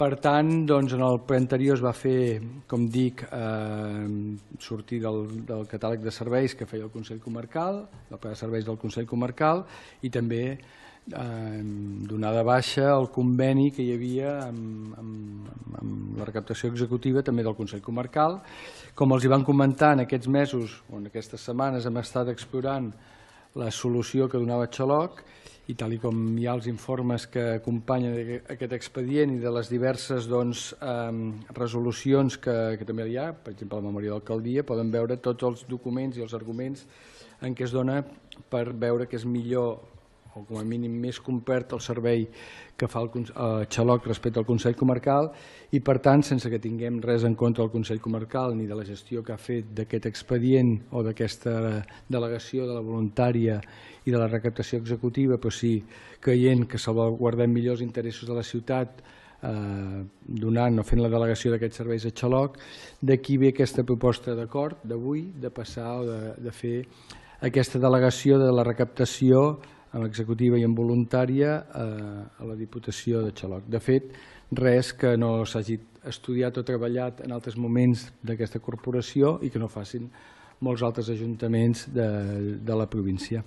Per tant, en el ple anterior es va fer, com dic, sortir del catàleg de serveis que feia el Consell Comarcal, del pla de serveis del Consell Comarcal, i també donar de baixa el conveni que hi havia amb la recaptació executiva també del Consell Comarcal. Com els hi van comentar, en aquests mesos o en aquestes setmanes hem estat explorant la solució que donava Xaloc, i tal com hi ha els informes que acompanyen aquest expedient i de les diverses resolucions que també hi ha, per exemple la memòria d'alcaldia, poden veure tots els documents i els arguments en què es dona per veure que és millor o com a mínim més complet el servei que fa Xaloc respecte al Consell Comarcal, i per tant, sense que tinguem res en contra del Consell Comarcal ni de la gestió que ha fet d'aquest expedient o d'aquesta delegació de la voluntària i de la recaptació executiva, però sí creient que salvaguardem millor els interessos de la ciutat donant o fent la delegació d'aquests serveis a Xaloc, d'aquí ve aquesta proposta d'acord d'avui de passar o de fer aquesta delegació de la recaptació amb executiva i amb voluntària a la Diputació de Xaloc. De fet, res que no s'hagi estudiat o treballat en altres moments d'aquesta corporació i que no facin molts altres ajuntaments de la província.